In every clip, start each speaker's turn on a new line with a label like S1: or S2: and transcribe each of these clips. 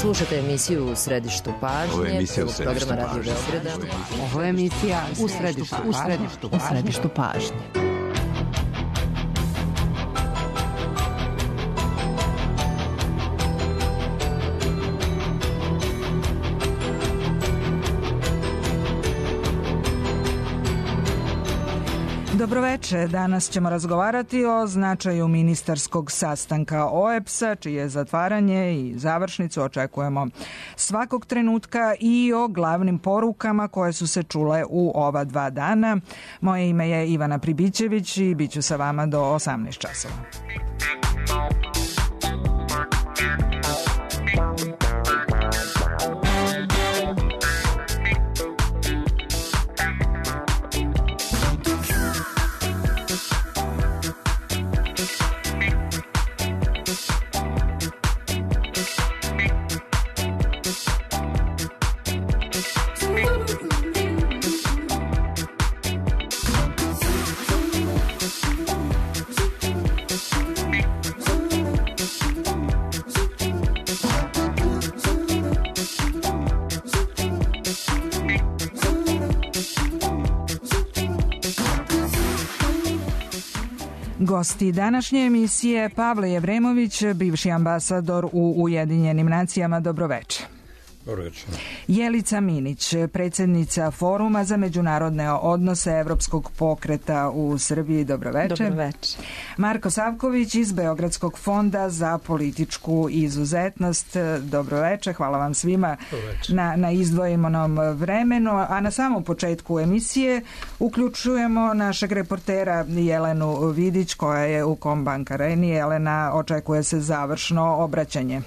S1: Slušate emisiju U središtu pažnje, programa Radio Beograda.
S2: Ovo je emisija U središtu pažnje.
S3: Dobroveče, danas ćemo razgovarati o značaju ministarskog sastanka OEBS-a, čije zatvaranje i završnicu očekujemo svakog trenutka, i o glavnim porukama koje su se čule u ova 2 dana. Moje ime je Ivana Pribićević i bit ću sa vama do 18 časova. Gosti današnje emisije: Pavle Jevremović, bivši ambasador u Ujedinjenim nacijama. Dobroveče.
S4: Dobroveče.
S3: Jelica Minić, predsjednica Foruma za međunarodne odnose Evropskog pokreta u Srbiji. Dobroveče.
S5: Dobroveče.
S3: Marko Savković iz Beogradskog fonda za političku izuzetnost. Dobroveče. Hvala vam svima na izdvojenom vremenu. A na samom početku emisije uključujemo našeg reportera Jelenu Vidić, koja je u Kombank Areni. Jelena, očekuje se završno obraćanje.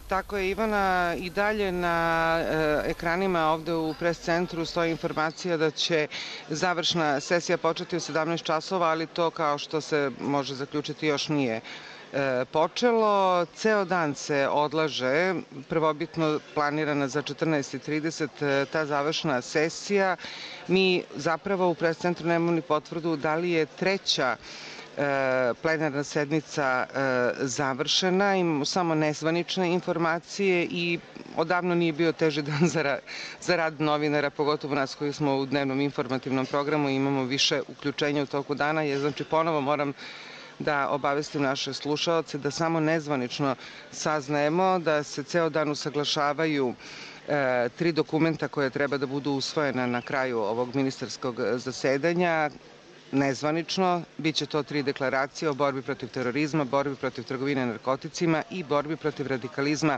S5: Tako je, Ivana, i dalje na ekranima ovde u pres centru stoji informacija da će završna sesija početi u 17 časova, ali to, kao što se može zaključiti, još nije počelo. Ceo dan se odlaže, prvobitno planirana za 14:30 ta završna sesija. Mi zapravo u pres centru nemamo ni potvrdu da li je treća plenarna sednica završena, imamo samo nezvanične informacije i odavno nije bio teži dan za rad novinara, pogotovo nas koji smo u dnevnom informativnom programu i imamo više uključenja u toku dana. Znači, ponovo moram da obavestim naše slušaoce da samo nezvanično saznajemo da se ceo dan usaglašavaju 3 dokumenta koje treba da budu usvojena na kraju ovog ministarskog zasedanja. Nezvanično, bit će to 3 deklaracije o borbi protiv terorizma, borbi protiv trgovine narkoticima i borbi protiv radikalizma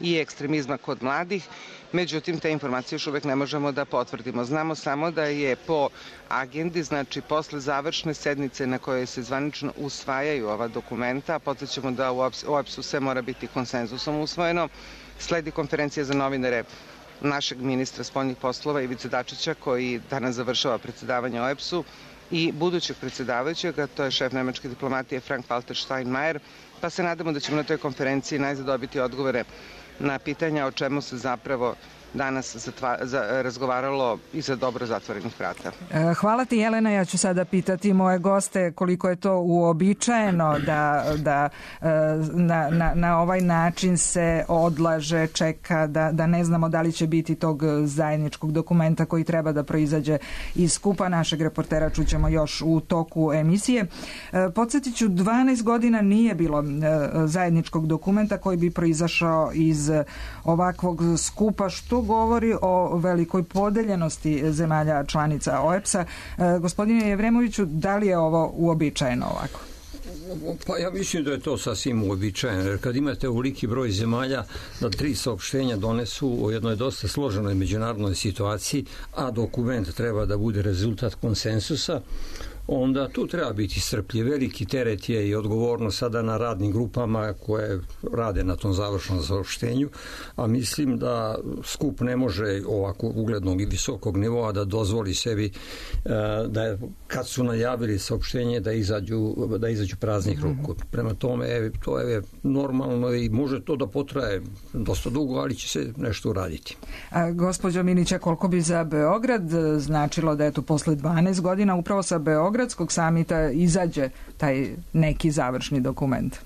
S5: i ekstremizma kod mladih. Međutim, te informacije još uvek ne možemo da potvrdimo. Znamo samo da je po agendi, znači posle završne sednice na kojoj se zvanično usvajaju ova dokumenta, podsjećamo da u OEBS-u sve mora biti konsenzusom usvojeno, sledi konferencija za novinare našeg ministra spoljnih poslova Ivice Dačića, koji danas završava predsedavanje OEBS-u, i budućeg predsjedavajućeg, a to je šef nemačke diplomatije Frank-Walter Steinmeier, pa se nadamo da ćemo na toj konferenciji najzad dobiti odgovore na pitanja o čemu se zapravo danas razgovaralo iza dobro zatvorenih vrata.
S3: Hvala ti, Jelena. Ja ću sada pitati moje goste koliko je to uobičajeno da na ovaj način se odlaže, čeka, da ne znamo da li će biti tog zajedničkog dokumenta koji treba da proizađe iz skupa. Našeg reportera čućemo još u toku emisije. Podsjetit ću, 12 godina nije bilo zajedničkog dokumenta koji bi proizašao iz ovakvog skupa, što govori o velikoj podeljenosti zemalja članica OEBS-a. Gospodine Jevremoviću, da li je ovo uobičajeno ovako?
S4: Pa ja mislim da je to sasvim uobičajeno, jer kad imate ovoliki broj zemalja da 3 saopštenja donesu o jednoj dosta složenoj međunarodnoj situaciji, a dokument treba da bude rezultat konsensusa, onda tu treba biti strpljiv. Veliki teret je i odgovornost sada na radnim grupama koje rade na tom završnom saopštenju, a mislim da skup ne može ovako uglednog i visokog nivoa da dozvoli sebi da kad su najavili saopštenje da izađu praznih ruku. Prema tome, to je normalno i može to da potraje dosta dugo, ali će se nešto uraditi.
S3: Gospođo Minića, koliko bi za Beograd značilo da je to posle 12 godina upravo sa Beogradskog samita izađe taj neki završni dokument?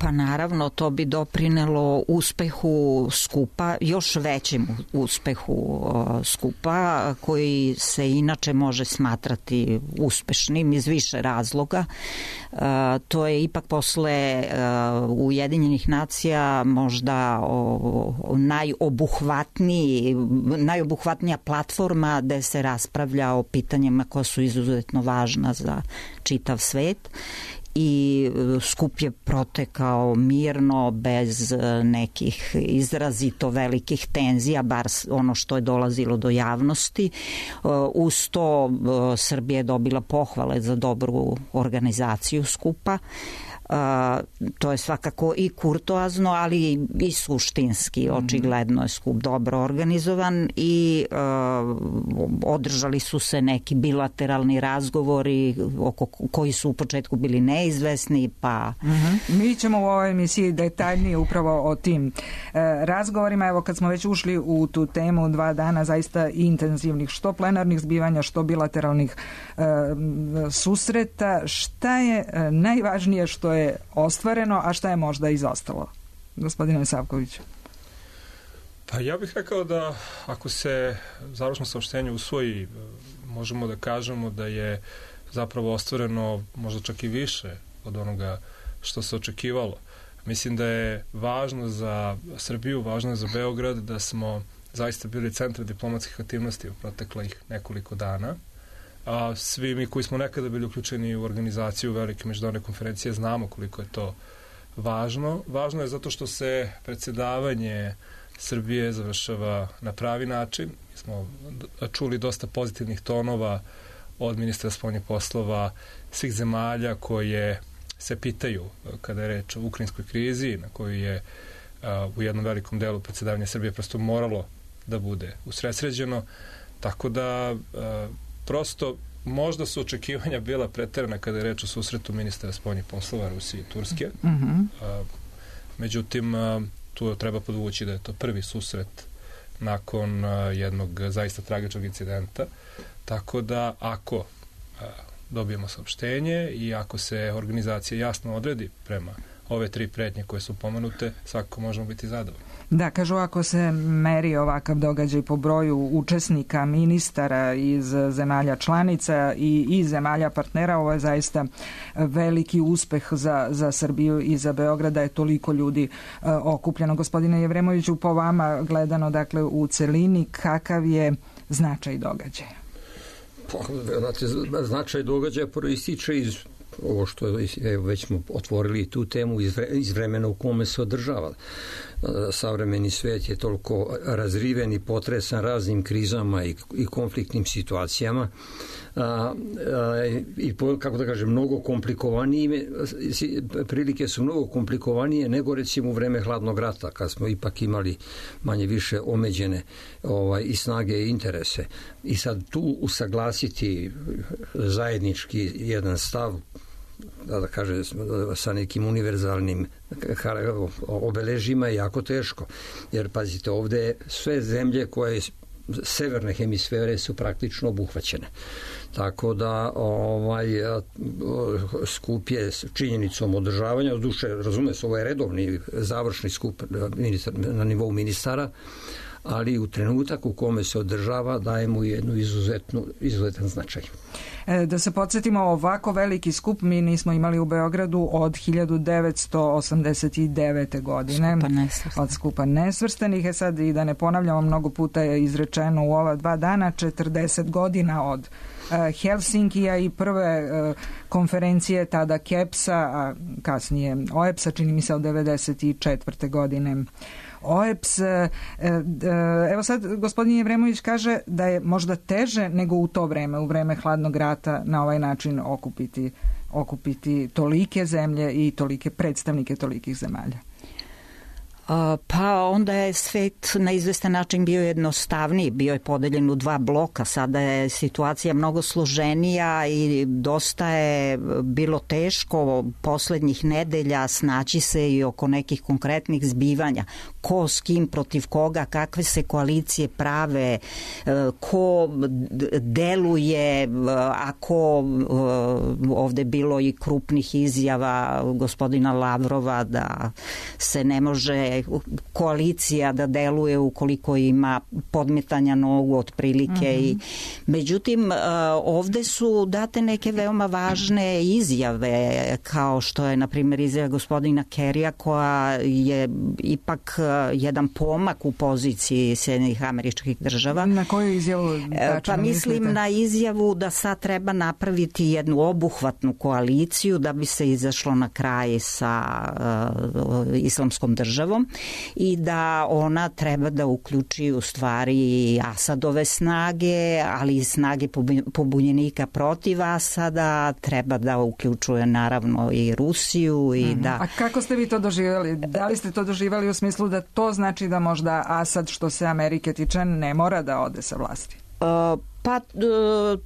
S6: Pa naravno, to bi doprinelo uspehu skupa, još većem uspehu skupa, koji se inače može smatrati uspešnim iz više razloga. To je ipak posle Ujedinjenih nacija možda najobuhvatnija platforma gde se raspravlja o pitanjima koja su izuzetno važna za čitav svet. I skup je protekao mirno, bez nekih izrazito velikih tenzija, bar ono što je dolazilo do javnosti. Uz to Srbija je dobila pohvale za dobru organizaciju skupa. To je svakako i kurtoazno, ali i suštinski. Očigledno je skup dobro organizovan i održali su se neki bilateralni razgovori koji su u početku bili neizvesni.
S3: Mi ćemo u ovoj emisiji detaljnije upravo o tim razgovorima. Evo, kad smo već ušli u tu temu, 2 dana zaista intenzivnih, što plenarnih zbivanja, što bilateralnih susreta, šta je najvažnije što je ostvareno, a šta je možda izostalo? Gospodine Savkoviću.
S7: Pa ja bih rekao da ako se završno saopštenje usvoji, možemo da kažemo da je zapravo ostvareno možda čak i više od onoga što se očekivalo. Mislim da je važno za Srbiju, važno je za Beograd da smo zaista bili centar diplomatskih aktivnosti u proteklih nekoliko dana. A svi mi koji smo nekada bili uključeni u organizaciju velike međunarodne konferencije znamo koliko je to važno. Važno je zato što se predsjedavanje Srbije završava na pravi način. Mi smo čuli dosta pozitivnih tonova od ministra spoljnih poslova svih zemalja koje se pitaju kada je reč o ukrajinskoj krizi, na koju je u jednom velikom delu predsjedavanja Srbije prosto moralo da bude usredsređeno. Tako da prosto možda su očekivanja bila preterana kada je reč o susretu ministra spoljnih poslova Rusije i Turske. Međutim, tu treba podvući da je to prvi susret nakon jednog zaista tragičnog incidenta. Tako da ako dobijemo saopštenje i ako se organizacija jasno odredi prema ove 3 pretnje koje su pomenute, svakako možemo biti zadovoljni.
S3: Da, kažu, ako se meri ovakav događaj po broju učesnika, ministara iz zemalja članica i zemalja partnera, ovo je zaista veliki uspeh za Srbiju i za Beograd, da je toliko ljudi okupljeno. Gospodine Jevremoviću, po vama gledano, dakle, u celini, kakav je značaj događaja?
S4: Značaj događaja proističe iz ovo što je, već smo otvorili tu temu, iz vremena u kome se održava. Savremeni svet je toliko razriven i potresan raznim krizama i konfliktnim situacijama i, kako da kažem, mnogo komplikovanije, prilike su mnogo komplikovanije nego recimo u vreme hladnog rata, kad smo ipak imali manje više omeđene i snage i interese. I sad tu usaglasiti zajednički jedan stav, da kažem, sa nekim univerzalnim obeležima je jako teško. Jer, pazite, ovde sve zemlje koje severne hemisfere su praktično obuhvaćene. Tako da skup je činjenicom održavanja, duše, razume se, ovo je redovni završni skup na nivou ministara, ali u trenutak u kome se održava daje mu jednu izuzetan značaj.
S3: Da se podsjetimo, ovako veliki skup mi nismo imali u Beogradu od 1989. godine. Od skupa nesvrstanih. Sad, i da ne ponavljamo, mnogo puta je izrečeno u ova 2 dana, 40 godina od Helsinkija i prve konferencije tada KEPS-a, a kasnije OEBS-a, čini mi se od 1994. godine. OEBS, evo sad gospodin Jevremović kaže da je možda teže nego u to vreme, u vreme hladnog rata, na ovaj način okupiti tolike zemlje i tolike predstavnike tolikih zemalja.
S6: Pa onda je svet na izvestan način bio jednostavniji, bio je podeljen u 2 bloka, sada je situacija mnogo složenija i dosta je bilo teško poslednjih nedelja snaći se i oko nekih konkretnih zbivanja ko s kim, protiv koga, kakve se koalicije prave, ko deluje, ako ovde bilo i krupnih izjava gospodina Lavrova da se ne može koalicija da deluje ukoliko ima podmetanja nogu otprilike. I međutim, ovde su date neke veoma važne izjave, kao što je, na primjer, izjava gospodina Kerrya, koja je ipak jedan pomak u poziciji Sjedinjenih Američkih Država.
S3: Na koju izjavu
S6: Pa mislim na izjavu da sad treba napraviti jednu obuhvatnu koaliciju da bi se izašlo na kraj sa Islamskom državom i da ona treba da uključi u stvari Asadove snage, ali i snage pobunjenika protiv Asada, treba da uključuje naravno i Rusiju i da...
S3: A kako ste vi to doživjeli? Da li ste to doživjeli u smislu da to znači da možda Asad, što se Amerike tiče, ne mora da ode sa vlasti?
S6: Pa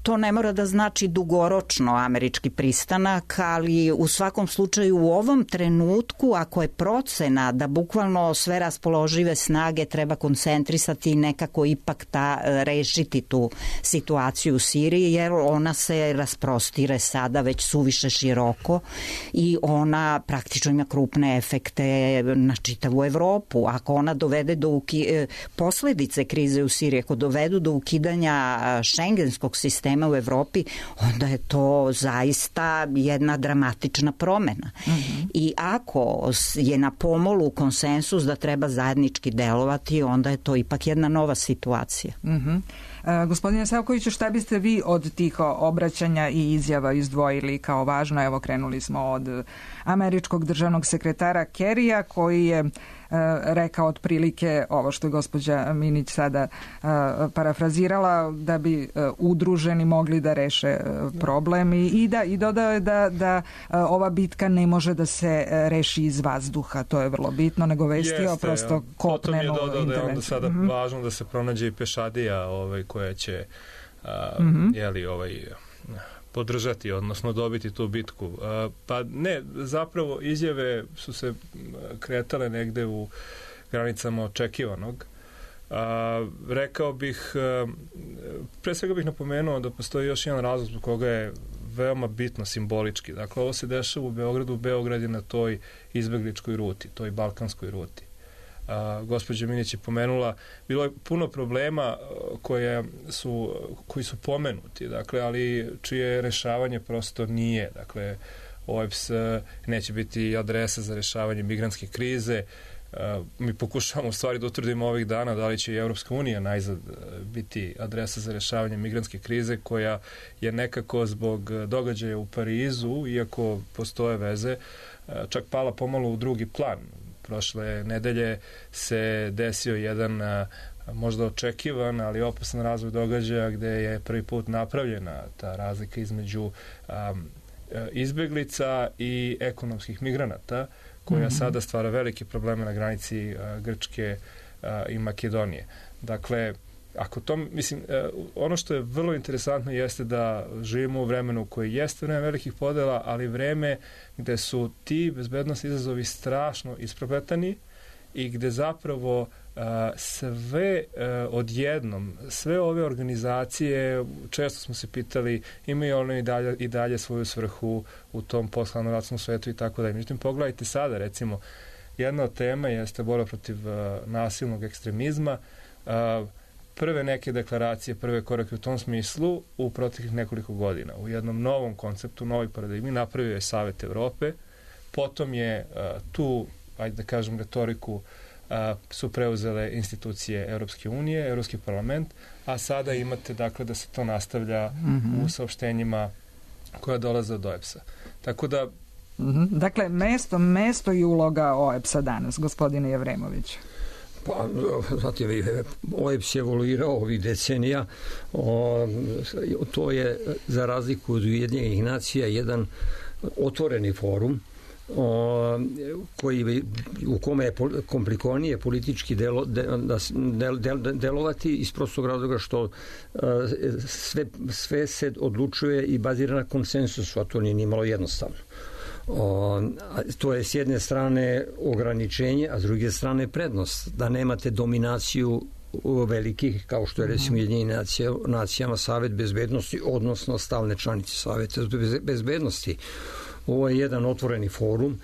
S6: to ne mora da znači dugoročno američki pristanak, ali u svakom slučaju u ovom trenutku, ako je procena da bukvalno sve raspoložive snage treba koncentrisati i nekako ipak rešiti tu situaciju u Siriji, jer ona se rasprostire sada već suviše široko i ona praktično ima krupne efekte na čitavu Evropu. Ako ona dovede do posledice krize u Siriji, ako dovedu do ukidanja šengenskog sistema u Evropi, onda je to zaista jedna dramatična promena. I ako je na pomolu konsensus da treba zajednički delovati, onda je to ipak jedna nova situacija.
S3: Gospodine Savkoviću, šta biste vi od tih obraćanja i izjava izdvojili kao važno? Evo, krenuli smo od američkog državnog sekretara Kerrya, koji je rekao otprilike ovo što je gospođa Minić sada parafrazirala, da bi udruženi mogli da reše problem i dodao je da ova bitka ne može da se reši iz vazduha, to je vrlo bitno, nego vestio prosto kopnenu intervenciju.
S7: Potom je dodao da je onda sada važno da se pronađe i pešadija koja će podržati, odnosno dobiti tu bitku. Pa ne, zapravo izjave su se kretale negde u granicama očekivanog. Rekao bih, pre svega bih napomenuo da postoji još jedan razlog zbog koga je veoma bitno simbolički. Dakle, ovo se dešava u Beogradu. Beograd je na toj izbegličkoj ruti, toj balkanskoj ruti. Gospođa Minić je pomenula, bilo je puno problema koji su pomenuti, dakle, ali čije rešavanje prosto nije. Dakle, OEBS neće biti adresa za rešavanje migrantske krize. Mi pokušavamo u stvari da utvrdimo ovih dana da li će i Evropska unija najzad biti adresa za rešavanje migrantske krize, koja je nekako zbog događaja u Parizu, iako postoje veze, čak pala pomalo u drugi plan. Prošle nedelje se desio jedan možda očekivan, ali opasan razvoj događaja gde je prvi put napravljena ta razlika između izbeglica i ekonomskih migranata, koja sada stvara velike probleme na granici Grčke i Makedonije. Dakle, ako to, mislim, ono što je vrlo interesantno jeste da živimo u vremenu koje jeste vreme velikih podela, ali vreme gde su ti bezbednosni izazovi strašno isprepletani i gde zapravo sve odjednom, sve ove organizacije, često smo se pitali, imaju one i dalje svoju svrhu u tom posthladnoratnom svetu i tako dalje. Međutim, pogledajte sada, recimo, jedna od tema jeste borba protiv nasilnog ekstremizma. Prve neke deklaracije, prve korake u tom smislu u proteklih nekoliko godina. U jednom novom konceptu, novoj paradigmi napravio je Savet Evrope, potom je tu, ajde da kažem, retoriku su preuzele institucije Evropske unije, Evropski parlament, a sada imate, dakle, da se to nastavlja u saopštenjima koja dolaze od OEBS-a. Tako da...
S3: Dakle, mesto i uloga OEBS-a danas, gospodine Jevremović.
S4: Pa, znate, OEBS je evoluirao ovih decenija. To je, za razliku od Ujedinjenih nacija, jedan otvoreni forum u kome je komplikovanije politički delovati iz prostog razloga što sve se odlučuje i bazira na konsensusu, a to nije nimalo jednostavno. To je s jedne strane ograničenje, a s druge strane prednost, da nemate dominaciju velikih, kao što je recimo Ujedinjenim nacijama Savet bezbednosti, odnosno stalne članice Saveta bezbednosti. Ovo je jedan otvoreni forum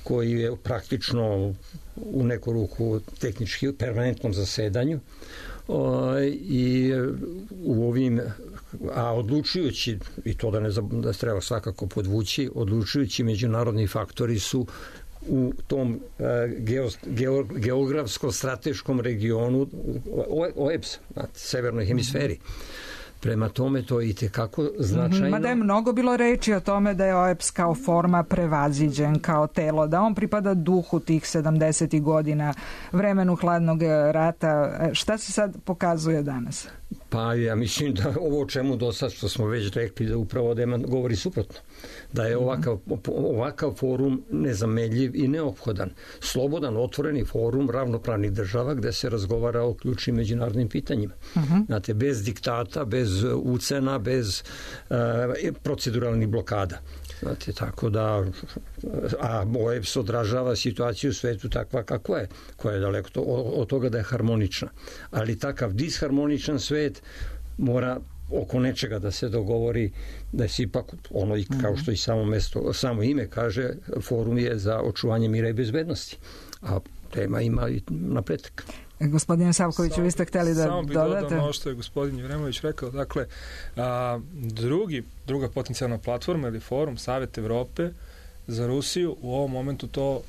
S4: koji je praktično u neku ruku tehnički permanentnom zasedanju i u ovim, a odlučujući, i to da treba svakako podvući, odlučujući međunarodni faktori su u tom geografsko-strateškom regionu OEBS, na severnoj hemisferi. Prema tome to je itekako značajno.
S3: Mada je mnogo bilo reči o tome da je OEBS kao forma prevaziđen, kao telo, da on pripada duhu tih 70. godina, vremenu hladnog rata. Šta se sad pokazuje danas?
S4: Pa ja mislim da ovo o čemu do sad što smo već rekli da upravo govori suprotno. Da je ovakav forum nezamenljiv i neophodan. Slobodan, otvoreni forum ravnopravnih država gde se razgovara o ključnim međunarodnim pitanjima. Znate, bez diktata, bez ucena, bez proceduralnih blokada. Znate, tako da, a OEBS odražava situaciju u svetu takva kakva je, koja je daleko od toga da je harmonična. Ali takav disharmoničan svet mora oko nečega da se dogovori, da se ipak ono, kao što i samo ime kaže, forum je za očuvanje mira i bezbednosti. A tema ima i napredak.
S3: Gospodine Savkoviću, vi ste hteli da dodate?
S7: Samo bih dodao ono što je gospodin Jevremović rekao. Dakle, druga potencijalna platforma ili forum, Savet Evrope za Rusiju, u ovom momentu to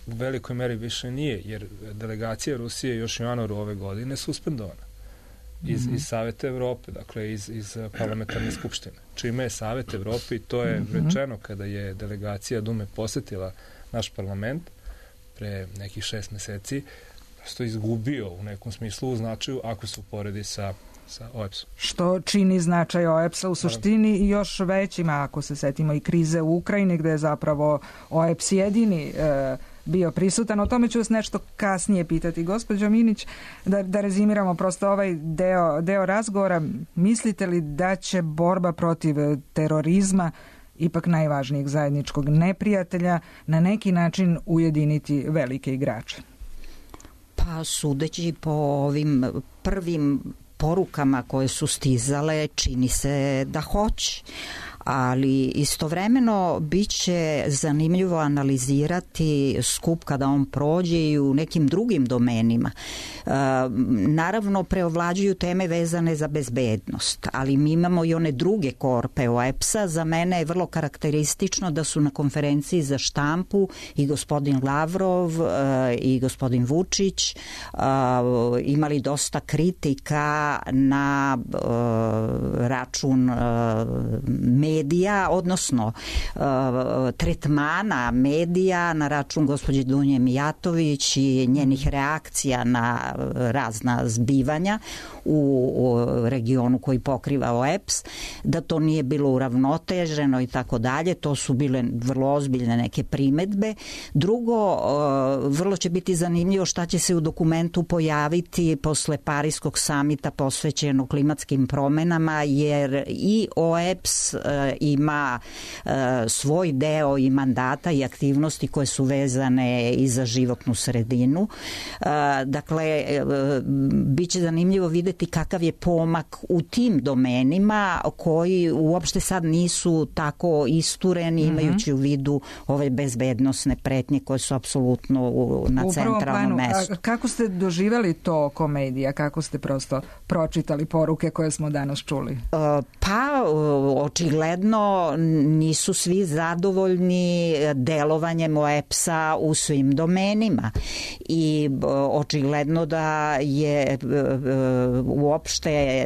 S7: u velikoj meri više nije, jer delegacija Rusije još u januaru ove godine suspendovana iz Saveta Evrope, dakle iz parlamentarne skupštine. Čime je Savet Evrope, i to je rečeno kada je delegacija Dume posetila naš parlament pre nekih 6 meseci, što izgubio u nekom smislu u značaju ako se uporedi sa OEBS-om.
S3: Što čini značaj OEBS-a u suštini i još većima, ako se setimo i krize u Ukrajini, gde je zapravo OEBS jedini bio prisutan. O tome ću vas nešto kasnije pitati. Gospođo Minić, da rezimiramo prosto ovaj deo razgovora, mislite li da će borba protiv terorizma, ipak najvažnijeg zajedničkog neprijatelja, na neki način ujediniti velike igrače?
S6: Pa sudeći po ovim prvim porukama koje su stizale, čini se da hoće. Ali istovremeno biće zanimljivo analizirati skup kada on prođe i u nekim drugim domenima. Naravno, preovlađuju teme vezane za bezbednost, ali mi imamo i one druge korpe OEBS-a. Za mene je vrlo karakteristično da su na konferenciji za štampu i gospodin Lavrov i gospodin Vučić imali dosta kritika na račun medija, odnosno tretmana medija na račun gospođe Dunje Mijatović i njenih reakcija na razna zbivanja u regionu koji pokriva OEBS, da to nije bilo uravnoteženo i tako dalje. To su bile vrlo ozbiljne neke primetbe. Drugo, vrlo će biti zanimljivo šta će se u dokumentu pojaviti posle Pariskog samita posvećenog klimatskim promenama, jer i OEBS ima svoj deo i mandata i aktivnosti koje su vezane i za životnu sredinu. Dakle, bit će zanimljivo videti kakav je pomak u tim domenima koji uopšte sad nisu tako istureni, imajući u vidu ove bezbednosne pretnje koje su apsolutno na centralnom mestu.
S3: Kako ste doživjeli to oko medija? Kako ste prosto pročitali poruke koje smo danas čuli?
S6: Pa, očigledno nisu svi zadovoljni delovanjem OEBS-a u svim domenima i očigledno da je uopšte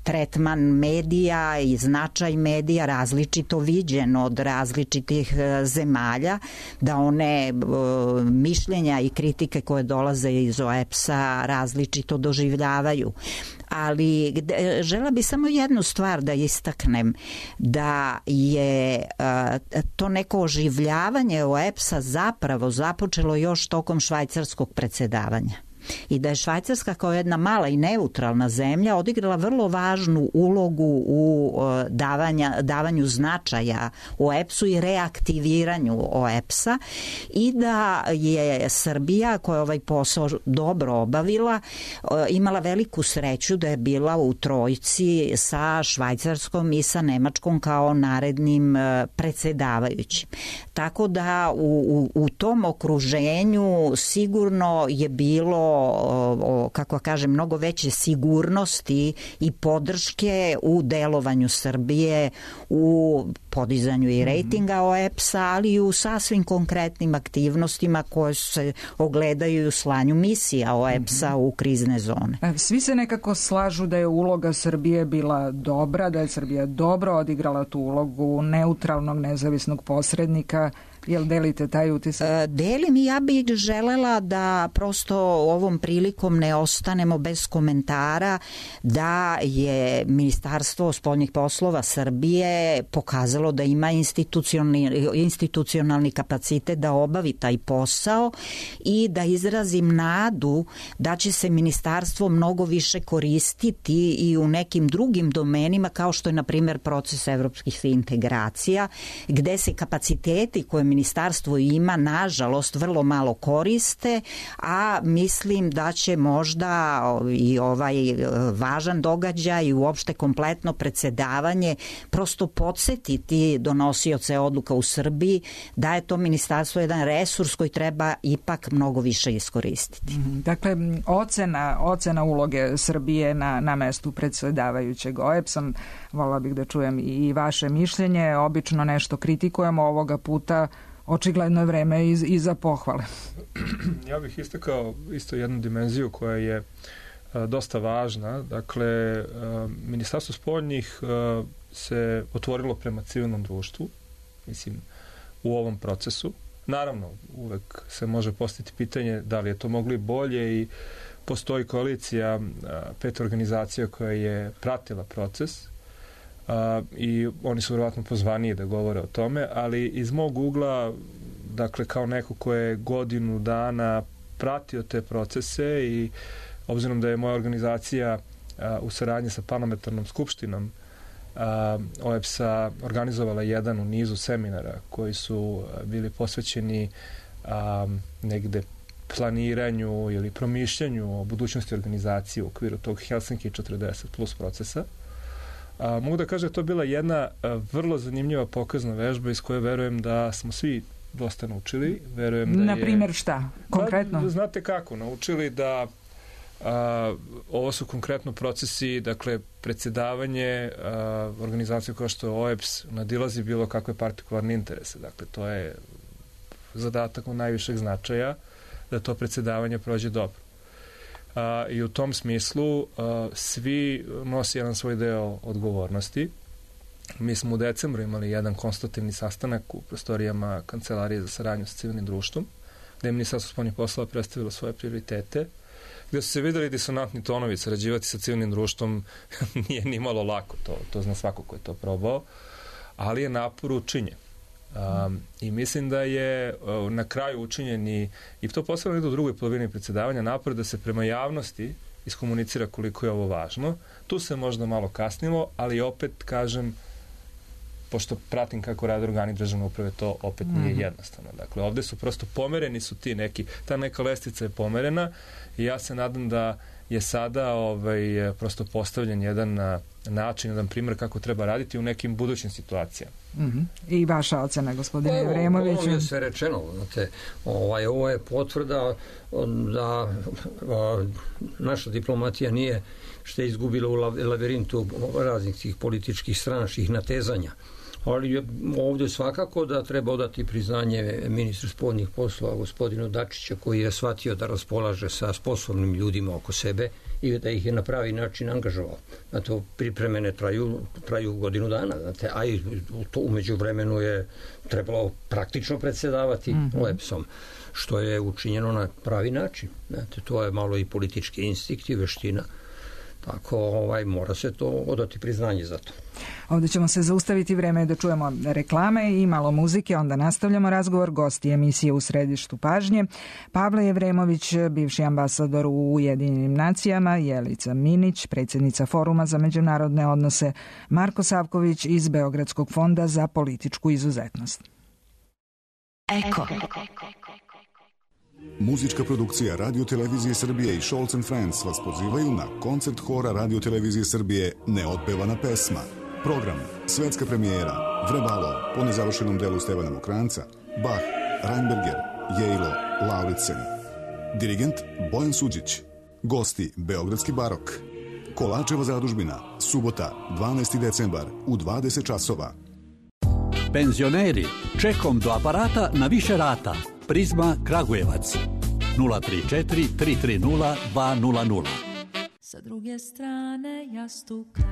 S6: tretman medija i značaj medija različito viđen od različitih zemalja, da one mišljenja i kritike koje dolaze iz OEBS-a različito doživljavaju. Ali žela bi samo jednu stvar da istaknem, da je to neko oživljavanje OEBS-a zapravo započelo još tokom švajcarskog predsedavanja. i da je Švajcarska kao jedna mala i neutralna zemlja odigrala vrlo važnu ulogu u davanju značaja OEBS-u i reaktiviranju OEBS-a i da je Srbija, koja je ovaj posao dobro obavila, imala veliku sreću da je bila u trojci sa Švajcarskom i sa Nemačkom kao narednim predsedavajućim. Tako da u tom okruženju sigurno je bilo, kako kažem, mnogo veće sigurnosti i podrške u delovanju Srbije, u podizanju i rejtinga OEBS-a, ali i u sasvim konkretnim aktivnostima koje se ogledaju u slanju misija OEBS-a u krizne zone.
S3: Svi se nekako slažu da je uloga Srbije bila dobra, da je Srbija dobro odigrala tu ulogu neutralnog, nezavisnog posrednika. Jel delite taj utisak?
S6: Delim i ja bih želela da prosto ovom prilikom ne ostanemo bez komentara da je Ministarstvo spoljnih poslova Srbije pokazalo da ima institucionalni kapacitet da obavi taj posao i da izrazim nadu da će se ministarstvo mnogo više koristiti i u nekim drugim domenima kao što je na primjer proces evropskih integracija, gde se kapaciteti koje ministarstvo ima, nažalost, vrlo malo koriste, a mislim da će možda i ovaj važan događaj i uopšte kompletno predsedavanje prosto podsjetiti donosioce odluka u Srbiji da je to ministarstvo jedan resurs koji treba ipak mnogo više iskoristiti.
S3: Dakle, ocena uloge Srbije na mestu predsedavajućeg OEBS-om, volila bih da čujem i vaše mišljenje. Obično nešto kritikujemo, ovoga puta očigledno je vreme i za pohvale.
S7: Ja bih istakao isto jednu dimenziju koja je dosta važna. Dakle, Ministarstvo spoljnih se otvorilo prema civilnom društvu, mislim, u ovom procesu. Naravno, uvek se može postaviti pitanje da li je to mogli bolje i postoji koalicija 5 organizacija koja je pratila proces i oni su vjerojatno pozvaniji da govore o tome, ali iz mog ugla, dakle kao neko ko je godinu dana pratio te procese i obzirom da je moja organizacija u saradnji sa parlamentarnom skupštinom OEBS-a organizovala jedan u nizu seminara koji su bili posvećeni negde planiranju ili promišljanju o budućnosti organizacije u okviru tog Helsinki 40 plus procesa. Mogu da kažem da to je bila jedna vrlo zanimljiva pokazna vežba iz koje verujem da smo svi dosta naučili. Verujem da
S3: na primjer šta? Konkretno?
S7: Da, znate kako? Naučili da ovo su konkretno procesi, dakle, predsjedavanje organizacije kao što je OEBS nadilazi bilo kakve partikularne interese. Dakle, to je zadatak od najvišeg značaja da to predsjedavanje prođe dobro. I u tom smislu svi nosi jedan svoj deo odgovornosti. Mi smo u decembru imali jedan konstitutivni sastanak u prostorijama Kancelarije za saradnju sa civilnim društvom, gde je Ministarstvo spoljnih poslova predstavilo svoje prioritete, gde su se videli disonantni tonovi. Sarađivati sa civilnim društvom nije ni malo lako, to zna svako ko je to probao, ali je napor učinjen. I mislim da je na kraju učinjen i to posebno ide u drugoj polovini predsjedavanja napor da se prema javnosti iskomunicira koliko je ovo važno. Tu se možda malo kasnilo, ali opet kažem, pošto pratim kako rade organi državne uprave, to opet nije jednostavno. Dakle, ovde su prosto pomereni su ti neki, ta neka lestica je pomerena i ja se nadam da je sada prosto postavljen jedan način, jedan primjer kako treba raditi u nekim budućim situacijama.
S3: I vaša ocena, gospodine Jevremoviću?
S4: Ovo je sve rečeno. Znate, ovo je potvrda da naša diplomatija nije što je izgubila u lavirintu raznih tih političkih stranačkih natezanja. Ali ovdje svakako da treba odati priznanje ministru spoljnih poslova gospodinu Dačića, koji je shvatio da raspolaže sa sposobnim ljudima oko sebe i da ih je na pravi način angažovao. Znate, pripremene traju godinu dana, znate, a i umeđu vremenu je trebalo praktično predsjedavati OEBS-om, što je učinjeno na pravi način. Znate, to je malo i politički instinkt i veština Tako mora se to odati priznanje za to.
S3: Ovdje ćemo se zaustaviti, vreme je da čujemo reklame i malo muzike, onda nastavljamo razgovor. Gosti emisije U središtu pažnje: Pavle Jevremović, bivši ambasador u Ujedinjenim nacijama, Jelica Minić, predsjednica Foruma za međunarodne odnose, Marko Savković iz Beogradskog fonda za političku izuzetnost.
S8: Eko.
S9: Muzička produkcija Radio Televizije Srbije i Scholz & Friends vas pozivaju na koncert hora Radio Televizije Srbije Neotpevana pesma. Program: svetska premijera, Vrebalo, po nezavršenom delu Stevana Mokranca, Bach, Reinberger, Jejlo, Lauritsen. Dirigent Bojan Suđić. Gosti: Beogradski barok. Kolačeva zadužbina, subota, 12. decembar u 20 časova.
S10: Penzioneri, čekom do aparata na više rata. Prizma Kragujevac 034 330 200.
S11: Sa druge strane jastuka.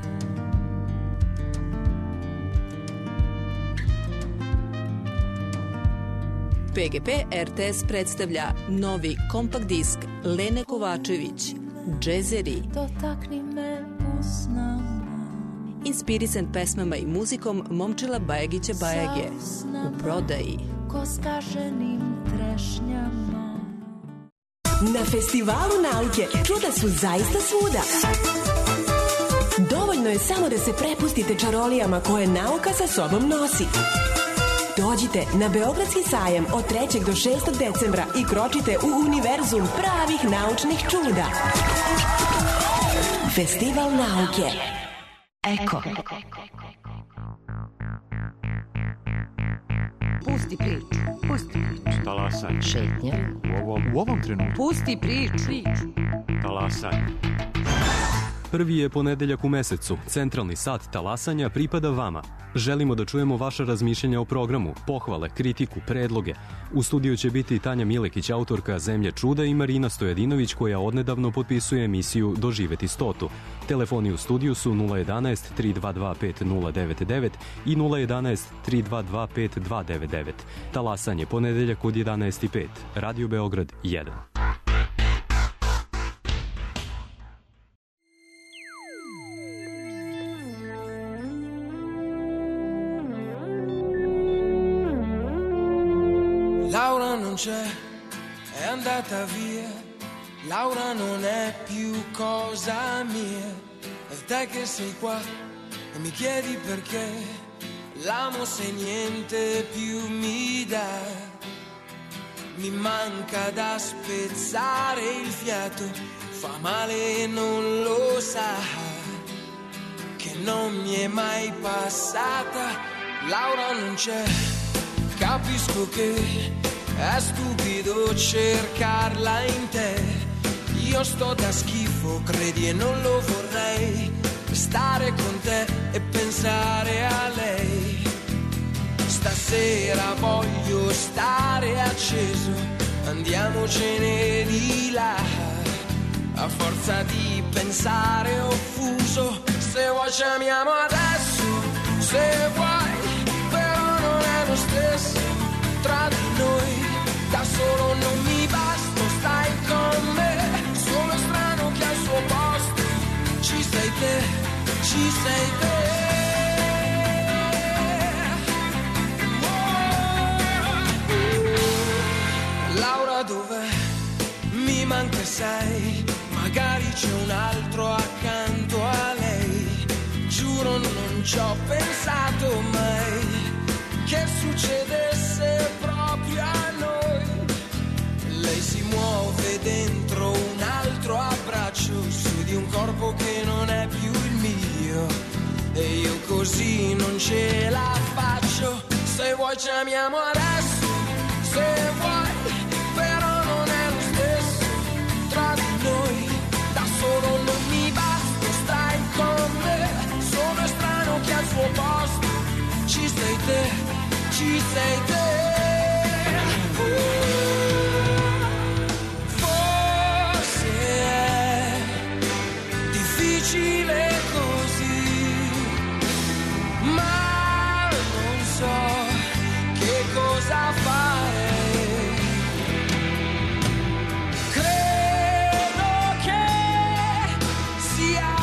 S12: PGP RTS predstavlja novi kompakt disk Lene Kovačević, Džezeri.
S11: Dotakni me usnama.
S12: Inspirisan pesmama i muzikom Momčila Bajagića Bajage. U prodaji.
S11: Ko skaženim trešnjama.
S13: Na Festivalu nauke čuda su zaista svuda. Dovoljno je samo da se prepustite čarolijama koje nauka sa sobom nosi. Dođite na Beogradski sajam od 3. do 6. decembra i kročite u univerzum pravih naučnih čuda. Festival nauke.
S8: Eko.
S2: Pusti priču. Pusti priču.
S1: Talasanje. Šetnja.
S14: U ovom trenutku.
S2: Pusti priču.
S14: Talasanje. Prvi je ponedeljak u mesecu. Centralni sat talasanja pripada vama. Želimo da čujemo vaša razmišljenja o programu, pohvale, kritiku, predloge. U studiju će biti Tanja Milekić, autorka Zemlje čuda, i Marina Stojadinović, koja odnedavno potpisuje emisiju Doživeti 100. Telefoni u studiju su 011 322 5099 i 011 322 5299. Talasanje ponedeljak od 11:05. Radio Beograd 1.
S15: Laura non c'è, è andata via. Laura non è più cosa mia. E te che sei qua e mi chiedi perché. L'amo se niente più mi dà. Mi manca da spezzare il fiato. Fa male e non lo sa. Che non mi è mai passata. Laura non c'è. Capisco che è stupido cercarla in te. Io sto da schifo, credi, e non lo vorrei. Stare con te e pensare a lei. Stasera voglio stare acceso, andiamocene di là. A forza di pensare offuso, se vuoi chiamiamo adesso, se vuoi. Lo stesso tra di noi, da solo non mi basta, stai con me, sono strano che al suo posto ci sei te, ci sei te. Laura dov'è? Mi manca sei, magari c'è un altro accanto a lei, giuro non ci ho pensato mai che succedesse proprio a noi. Lei si muove dentro un altro abbraccio, su di un corpo che non è più il mio, e io così non ce la faccio. Se vuoi chiamiamo adesso, se vuoi, però non è lo stesso tra di noi. Da solo non mi basta, stai con me, sono strano che al suo posto ci sei te, ci sei te. Forse è difficile così, ma non so che cosa fare. Credo che sia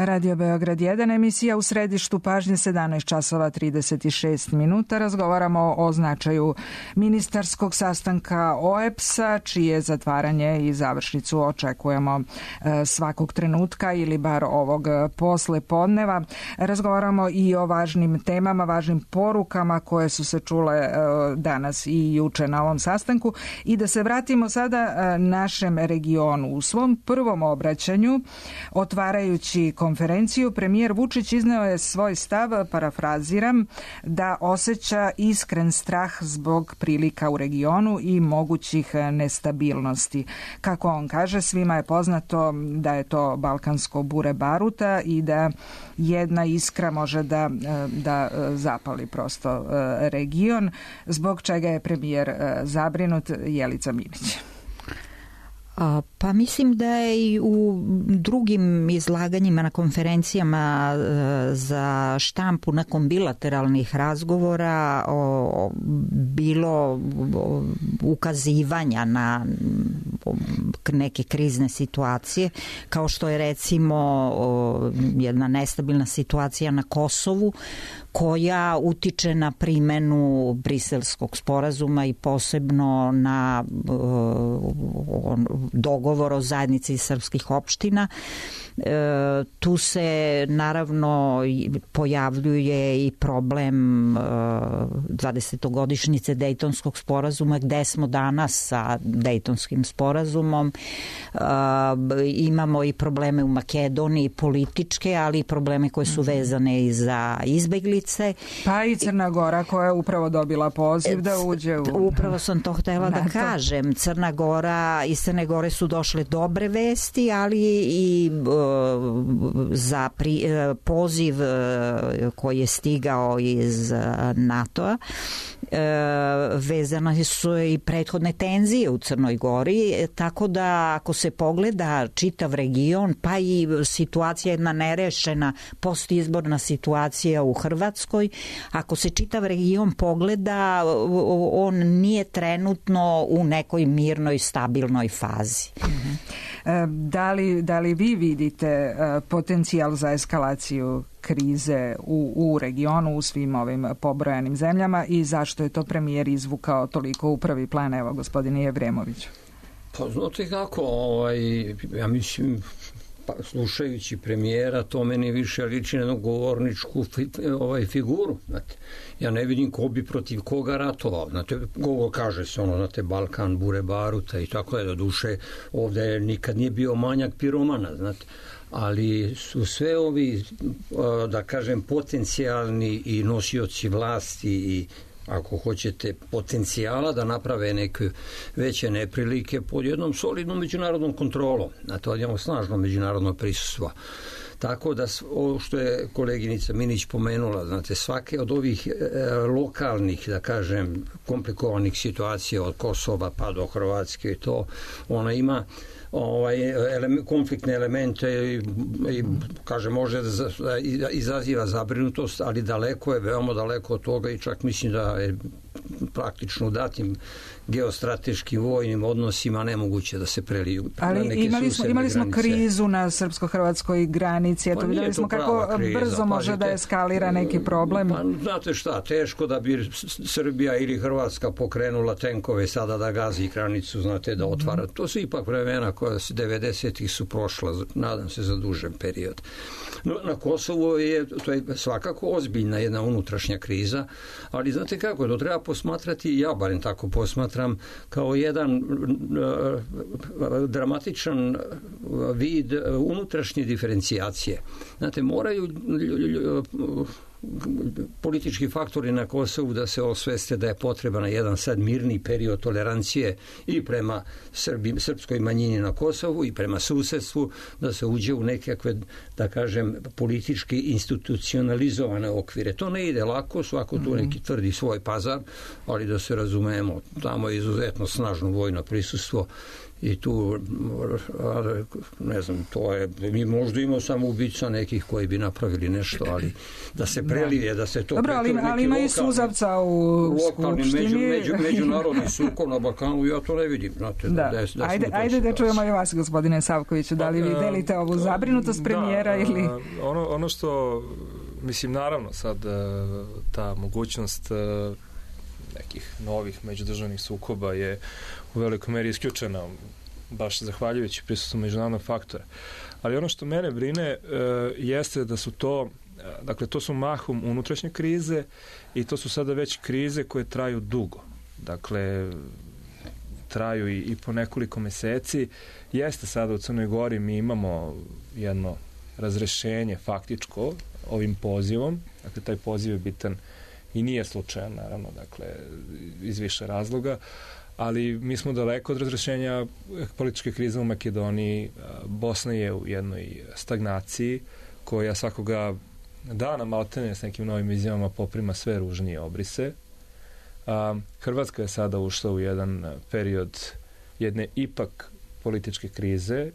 S3: Radio Beograd 1, emisija u središtu pažnje, 17 časova 36 minuta. Razgovaramo o značaju ministarskog sastanka OEBS-a, čije zatvaranje i završnicu očekujemo svakog trenutka ili bar ovog posle podneva. Razgovaramo i o važnim temama, važnim porukama koje su se čule danas i juče na ovom sastanku. I da se vratimo sada našem regionu. U svom prvom obraćanju, otvarajući konferenciju, premijer Vučić izneo je svoj stav, parafraziram, da osjeća iskren strah zbog prilika u regionu i mogućih nestabilnosti. Kako on kaže, svima je poznato da je to balkansko bure baruta i da jedna iskra može da zapali prosto region, zbog čega je premijer zabrinut. Jelica Minić.
S6: Pa mislim da je i u drugim izlaganjima na konferencijama za štampu nakon bilateralnih razgovora bilo ukazivanja na neke krizne situacije, kao što je recimo jedna nestabilna situacija na Kosovu, koja utiče na primenu Briselskog sporazuma i posebno na dogovor o zajednici srpskih opština. Tu se naravno pojavljuje i problem 20-godišnjice Dejtonskog sporazuma, gde smo danas sa Dejtonskim sporazumom. Imamo i probleme u Makedoniji političke, ali i probleme koje su vezane i za izbeglice.
S3: Pa i Crna Gora koja je upravo dobila poziv da uđe u...
S6: Upravo sam to htela da kažem. Crna Gora, iz Crne Gore su došle dobre vesti, ali i za poziv koji je stigao iz NATO-a vezane su i prethodne tenzije u Crnoj Gori, tako da ako se pogleda čitav region, pa i situacija jedna nerešena postizborna situacija u Hrvatskoj, ako se čitav region pogleda, on nije trenutno u nekoj mirnoj, stabilnoj fazi.
S3: Da li vi vidite potencijal za eskalaciju krize u regionu, u svim ovim pobrojanim zemljama, i zašto je to premijer izvukao toliko u prvi plan? Evo, gospodine Jevremović.
S4: Pa znate kako, ja mislim, slušajući premijera, to meni više liči na jednu govorničku figuru. Znate, ja ne vidim ko bi protiv koga ratovao. Znate, govor kaže se znate, Balkan, bure baruta i tako je, do duše ovde nikad nije bio manjak piromana, znate. Ali su sve ovi, da kažem, potencijalni i nosioci vlasti i, ako hoćete, potencijala da naprave neke veće neprilike pod jednom solidnom međunarodnom kontrolom. Znate, odjemo snažno međunarodno prisustvo. Tako da, ovo što je koleginica Minić pomenula, znate, svake od ovih lokalnih, da kažem, komplikovanih situacija od Kosova pa do Hrvatske i to, ona ima konfliktne elemente i kaže, može da izaziva zabrinutost, ali daleko je, veoma daleko od toga, i čak mislim da je praktično u datim geostrateškim vojnim odnosima nemoguće da se preliju.
S3: Ali imali smo krizu na srpsko-hrvatskoj granici, eto, vidjeli smo kako brzo može da eskalira neki problem.
S4: Pa, znate šta, teško da bi Srbija ili Hrvatska pokrenula tenkove sada da gazi granicu, znate, da otvara. To su ipak vremena koja 90-ih su prošla, nadam se, za dužem period. No, na Kosovu to je svakako ozbiljna jedna unutrašnja kriza, ali znate kako, to treba posmatrati, ja barem tako posmatram, kao jedan dramatičan vid unutrašnje diferencijacije. Znate, moraju politički faktori na Kosovu da se osveste da je potreban jedan sad mirni period tolerancije i prema srpskoj manjini na Kosovu i prema susedstvu, da se uđe u nekakve, da kažem, politički institucionalizovane okvire. To ne ide lako, svako tu neki tvrdi svoj pazar, ali da se razumemo, tamo je izuzetno snažno vojno prisustvo i tu, ne znam, to je, mi možda imamo samo ubica nekih koji bi napravili nešto, ali da se prelije, da se to...
S3: Dobro, ali ima i suzavca u Skupštini.
S4: Međunarodni sukob na Balkanu, ja to ne vidim. Znate,
S3: ajde da čujemo i vas, gospodine Savkoviću, da li vi delite ovu zabrinutost premijera ili...
S7: Ono što, mislim, naravno sad ta mogućnost nekih novih međudržavnih sukoba je u velikoj meri isključena, baš zahvaljujući prisustvu međunarodnog faktora. Ali ono što mene brine jeste da su to, dakle, to su mahom unutrašnje krize i to su sada već krize koje traju dugo. Dakle, traju i po nekoliko meseci. Jeste sada u Crnoj Gori, mi imamo jedno razrešenje faktičko ovim pozivom. Dakle, taj poziv je bitan i nije slučajan, naravno, dakle, iz više razloga, ali mi smo daleko od razrešenja političke krize u Makedoniji. Bosna je u jednoj stagnaciji koja svakoga dana maltene s nekim novim izjavama poprima sve ružnije obrise. Hrvatska je sada ušla u jedan period jedne ipak političke krize,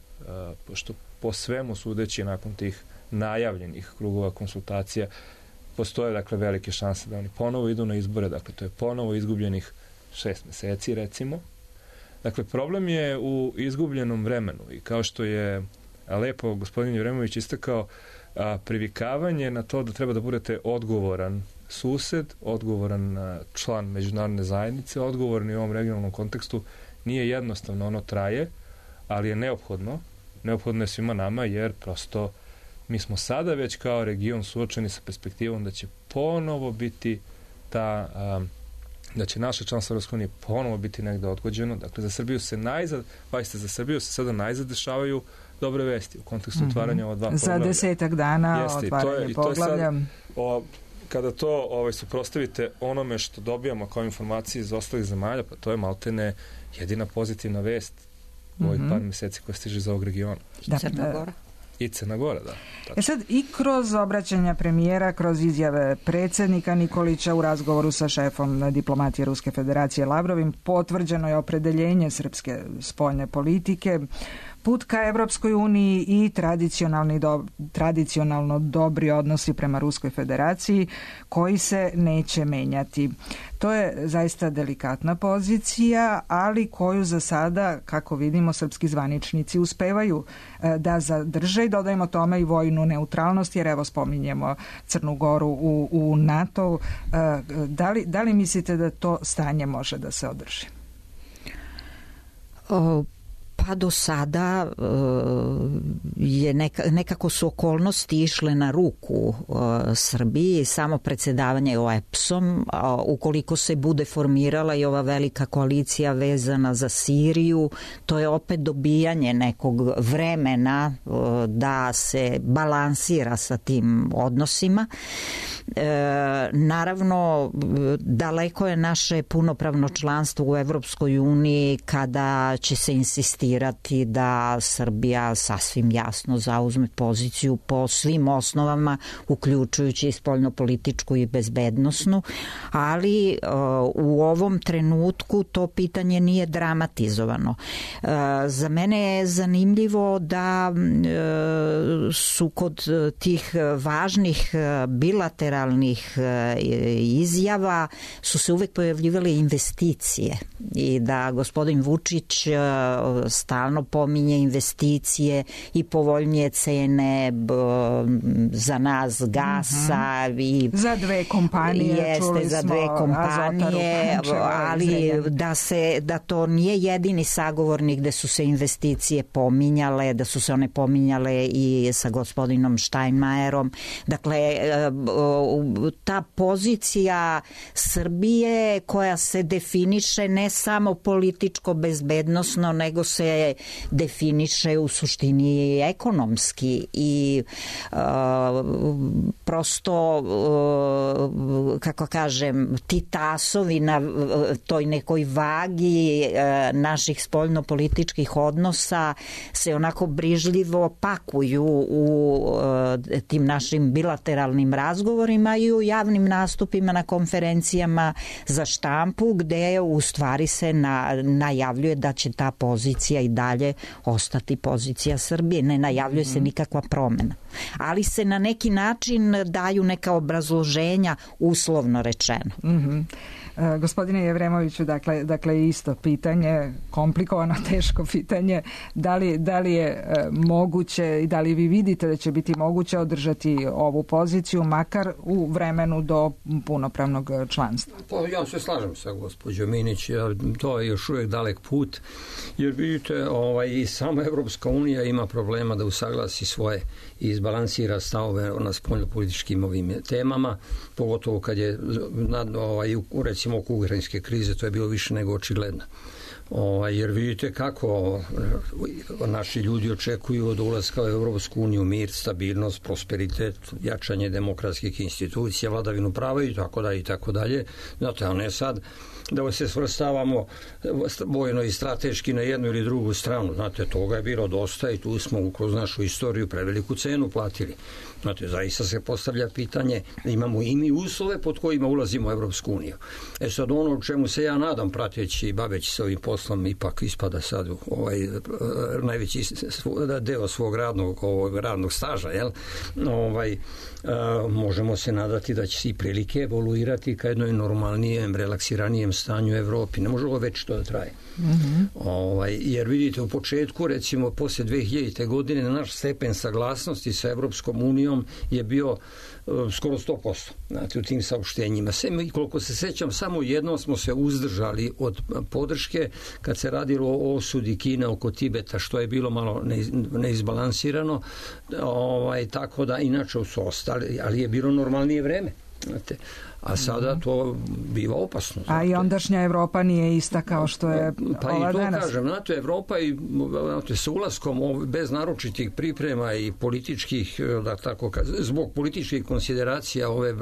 S7: pošto po svemu sudeći nakon tih najavljenih krugova konsultacija postoje, dakle, velike šanse da oni ponovo idu na izbore, dakle, to je ponovo izgubljenih 6 meseci, recimo. Dakle, problem je u izgubljenom vremenu i kao što je lepo gospodin Jevremović istakao, privikavanje na to da treba da budete odgovoran sused, odgovoran član međunarodne zajednice, odgovorni u ovom regionalnom kontekstu, nije jednostavno, ono traje, ali je neophodno je svima nama, jer prosto mi smo sada već kao region suočeni sa perspektivom da će ponovo biti da će naše članstvo Evropske unije ponovo biti negde odgođeno. Dakle, za Srbiju se sada najzad dešavaju dobre vesti u kontekstu otvaranja ova dva poglavlja.
S3: Za 10 dana otvaranje poglavlja.
S7: Kada to suprotstavite onome što dobijamo kao informacije iz ostalih zemalja, pa to je maltene jedina pozitivna vest u ovih par meseci koja stiže iz ovog regiona.
S6: Crna Gora.
S7: I Crna Gora, da.
S3: Sad, i kroz obraćanja premijera, kroz izjave predsjednika Nikolića u razgovoru sa šefom diplomatije Ruske federacije Lavrovim, potvrđeno je opredeljenje srpske spoljne politike, put ka Evropskoj uniji i tradicionalno dobri odnosi prema Ruskoj federaciji koji se neće menjati. To je zaista delikatna pozicija, ali koju za sada, kako vidimo, srpski zvaničnici uspevaju da zadrže i dodajemo tome i vojnu neutralnost, jer evo spominjemo Crnu Goru u NATO. Da li mislite da to stanje može da se održi?
S6: Pa do sada je nekako su okolnosti išle na ruku Srbiji, samo predsjedavanje OEBS-om, ukoliko se bude formirala i ova velika koalicija vezana za Siriju, to je opet dobijanje nekog vremena da se balansira sa tim odnosima. Naravno, daleko je naše punopravno članstvo u Evropskoj uniji kada će se insistirati da Srbija sasvim jasno zauzme poziciju po svim osnovama, uključujući i spoljnopolitičku i bezbednosnu, ali u ovom trenutku to pitanje nije dramatizovano. Za mene je zanimljivo da su kod tih važnih bilateralnih izjava su se uvek pojavljivale investicije i da gospodin Vučić stalno pominje investicije i povoljnije cene za nas gasa i
S3: za dve kompanije, čuli
S6: za dve kompanije, ali da to nije jedini sagovornik gde su se investicije pominjale, da su se one pominjale i sa gospodinom Steinmeierom. Dakle, ta pozicija Srbije koja se definiše ne samo političko bezbednosno, nego se definiše u suštini i ekonomski i prosto, kako kažem, ti tasovi na toj nekoj vagi naših spoljnopolitičkih odnosa se onako brižljivo pakuju u tim našim bilateralnim razgovorima, obraćanjima i u javnim nastupima na konferencijama za štampu, gde u stvari se najavljuje da će ta pozicija i dalje ostati pozicija Srbije. Ne najavljuje se nikakva promena. Ali se na neki način daju neka obrazloženja, uslovno rečeno.
S3: Gospodine Jevremoviću, dakle isto pitanje, komplikovano, teško pitanje, da li je moguće i da li vi vidite da će biti moguće održati ovu poziciju makar u vremenu do punopravnog članstva?
S4: Pa ja se slažem sa gospođom Minić, to je još uvijek dalek put, jer vidite i sama Evropska unija ima problema da usaglasi svoje i izbalansira stavove na spoljnopolitičkim ovim temama, pogotovo kad je recimo oko ukrajinske krize, to je bilo više nego očigledno. Jer vidite kako naši ljudi očekuju od ulaska u Evropsku uniju mir, stabilnost, prosperitet, jačanje demokratskih institucija, vladavinu prava i tako dalje. Znate, a ne sad da se svrstavamo vojno i strateški na jednu ili drugu stranu. Znate, toga je bilo dosta i tu smo kroz našu istoriju preveliku cenu platili. Znate, zaista se postavlja pitanje, imamo i mi uslove pod kojima ulazimo u Evropsku uniju. Sad ono u čemu se ja nadam, prateći i baveći se ovim poslom, ipak ispada sad najveći deo svog radnog staža, možemo se nadati da će se i prilike evoluirati ka jednoj normalnijem, relaksiranijem stanju u Evropi. Ne može ovo već to da traje. Jer vidite, u početku, recimo, posle 2000. godine, naš stepen saglasnosti sa Evropskom unijom je bio skoro 100%, znate, u tim saopštenjima. Koliko se sećam, samo jednom smo se uzdržali od podrške kad se radilo o osudi Kine oko Tibeta, što je bilo malo neizbalansirano, tako da inače su ostali, ali je bilo normalnije vreme, znate. A sada to biva opasno.
S3: A i ondašnja Evropa nije ista kao što je ova danas. Pa i to kažem, znate, Evropa i sa ulaskom bez naročitih priprema i političkih, zbog političkih konsideracija ove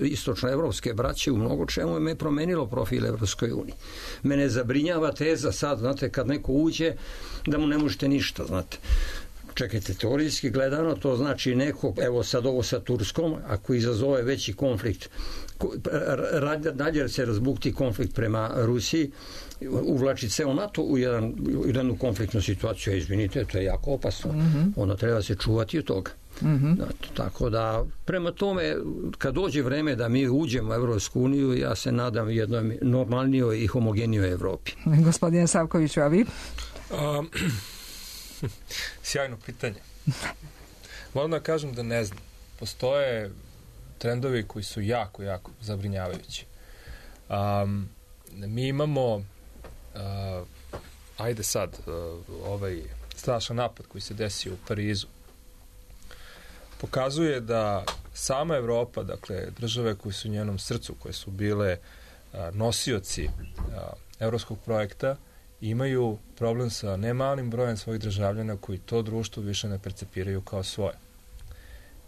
S3: istočnoevropske braće u mnogo čemu je promenilo profil Evropskoj uniji. Mene zabrinjava teza sad, znate, kad neko uđe da mu ne možete ništa, znate. Čekajte, teorijski gledano, to znači neko, evo sad ovo sa Turskom, ako izazove veći konflikt, dalje se razbukti konflikt prema Rusiji, uvlači ceo NATO u jednu konfliktnu situaciju, izvinite, to je jako opasno. Onda treba se čuvati od toga. Tako da, prema tome, kad dođe vreme da mi uđemo u Evropsku uniju, ja se nadam jednoj normalnijoj i homogenijoj Evropi. Gospodine Savkoviću, a vi?
S7: Sjajno pitanje. Moram da kažem da ne znam. Postoje trendovi koji su jako, jako zabrinjavajući. Mi imamo ajde sad ovaj strašan napad koji se desio u Parizu pokazuje da sama Evropa, dakle države koje su u njenom srcu, koje su bile nosioci evropskog projekta, imaju problem sa nemalim brojem svojih državljana koji to društvo više ne percepiraju kao svoje.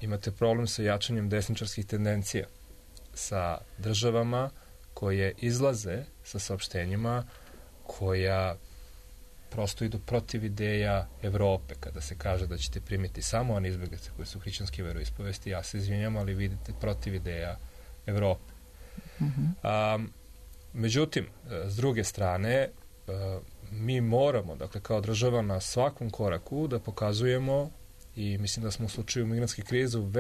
S7: Imate problem sa jačanjem desničarskih tendencija, sa državama koje izlaze sa saopštenjima koja prosto idu protiv ideja Evrope, kada se kaže da ćete primiti samo one izbjeglice koje su hrišćanske veroispovesti, ja se izvinjam, ali vidite protiv ideja Evrope. Međutim, s druge strane, mi moramo, dakle, kao država na svakom koraku da pokazujemo, i mislim da smo u slučaju migrantske krize u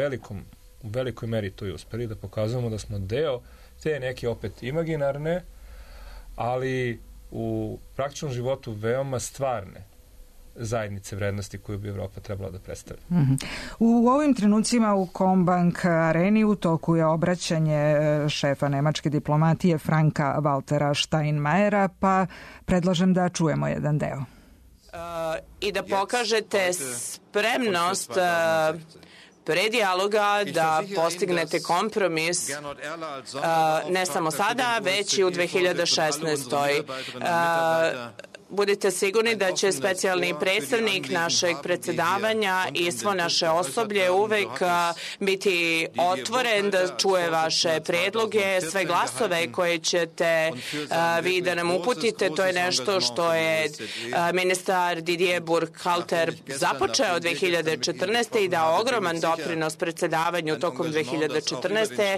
S7: velikoj meri to i uspeli, da pokazujemo da smo deo te neke opet imaginarne, ali u praktičnom životu veoma stvarne zajednice vrednosti koju bi Evropa trebala da predstavlja.
S3: U ovim trenucima u Combank areni u toku je obraćanje šefa nemačke diplomatije Franka Waltera Steinmeiera, pa predlažem da čujemo jedan deo.
S16: I da pokažete spremnost pre dijaloga da postignete kompromis ne samo sada, već i u 2016. budite sigurni da će specijalni predstavnik našeg predsedavanja i svo naše osoblje uvek biti otvoren da čuje vaše predloge, sve glasove koje ćete vi da nam uputite. To je nešto što je ministar Didier Burkhalter započeo 2014. i dao ogroman doprinos predsedavanju tokom 2014.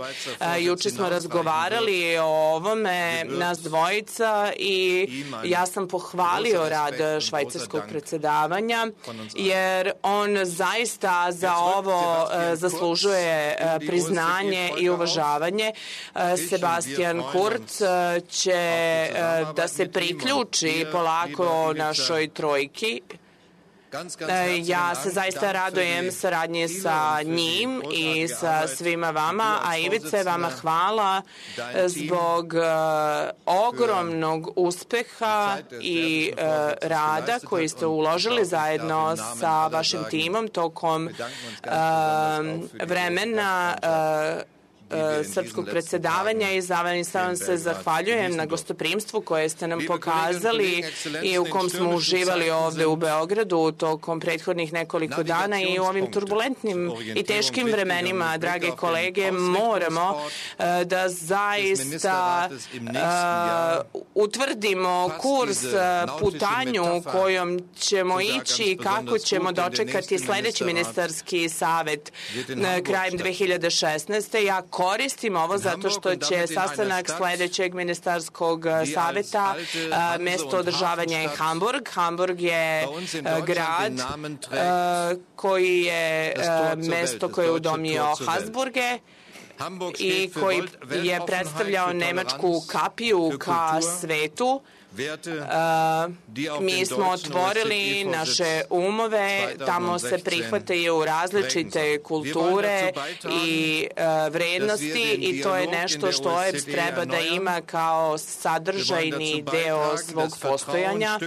S16: Juče smo razgovarali o ovome, nas dvojica, i ja sam pohvalio rad švajcarskog predsedavanja, jer on zaista za ovo zaslužuje priznanje i uvažavanje. Sebastian Kurz će da se priključi polako našoj trojki. Ja se zaista radujem saradnji sa njim i sa svima vama, a Ivice, vama hvala zbog ogromnog uspeha i rada koji ste uložili zajedno sa vašim timom tokom vremena srpskog predsedavanja i zaista vam se zahvaljujem na gostoprimstvu koje ste nam pokazali i u kom smo uživali ovde u Beogradu tokom prethodnih nekoliko dana i u ovim turbulentnim i teškim vremenima, drage kolege, moramo da zaista utvrdimo kurs, putanju kojom ćemo ići i kako ćemo dočekati sledeći ministarski savet krajem 2016. Ja koristim ovo zato što će sastanak sledećeg ministarskog saveta mesto održavanja je Hamburg. Hamburg je grad koji je mesto koje je udomio Habsburge i koji je predstavljao nemačku kapiju ka svetu. Mi smo otvorili naše umove, tamo se prihvataju različite kulture i vrednosti i to je nešto što OEBS treba da ima kao sadržajni deo svog postojanja.